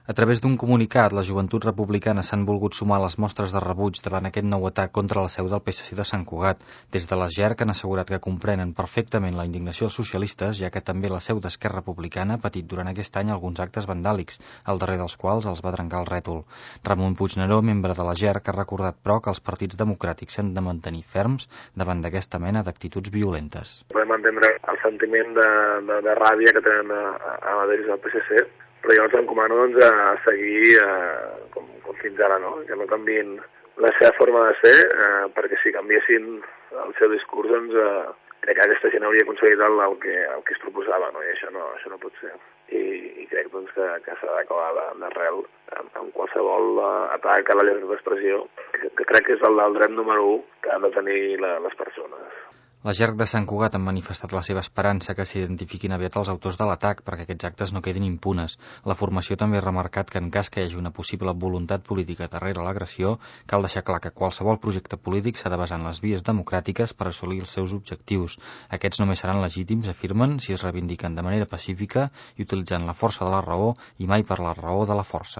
A través d'un comunicat, les joventuts republicanes s'han volgut sumar a les mostres de rebuig davant aquest nou atac contra la seu del PSC de Sant Cugat. Des de les GERC han assegurat que comprenen perfectament la indignació dels socialistes, ja que també la seu d'Esquerra Republicana ha patit durant aquest any alguns actes vandàlics, al darrer dels quals els va trencar el rètol. Ramon Puigneró, membre de la GERC, ha recordat, però, que els partits democràtics s'han de mantenir ferms davant d'aquesta mena d'actituds violentes. Podem entendre el sentiment de ràbia que tenen a des del PSC, però jo els encomano a seguir com fins ara, no? Que no canviïn la seva forma de ser, perquè si canviessin el seu discurs, crec que aquesta gent hauria aconseguit el que es proposava, no? I això no pot ser. I crec que s'ha d'acabar d'arrel amb qualsevol atac a la llibertat d'expressió, que crec que és el del dret número 1 que han de tenir les persones. La GERC de Sant Cugat han manifestat la seva esperança que s'identifiquin aviat els autors de l'atac perquè aquests actes no quedin impunes. La formació també ha remarcat que en cas que hi hagi una possible voluntat política darrere l'agressió, cal deixar clar que qualsevol projecte polític s'ha de basar en les vies democràtiques per assolir els seus objectius. Aquests només seran legítims, afirmen, si es reivindiquen de manera pacífica i utilitzant la força de la raó i mai per la raó de la força.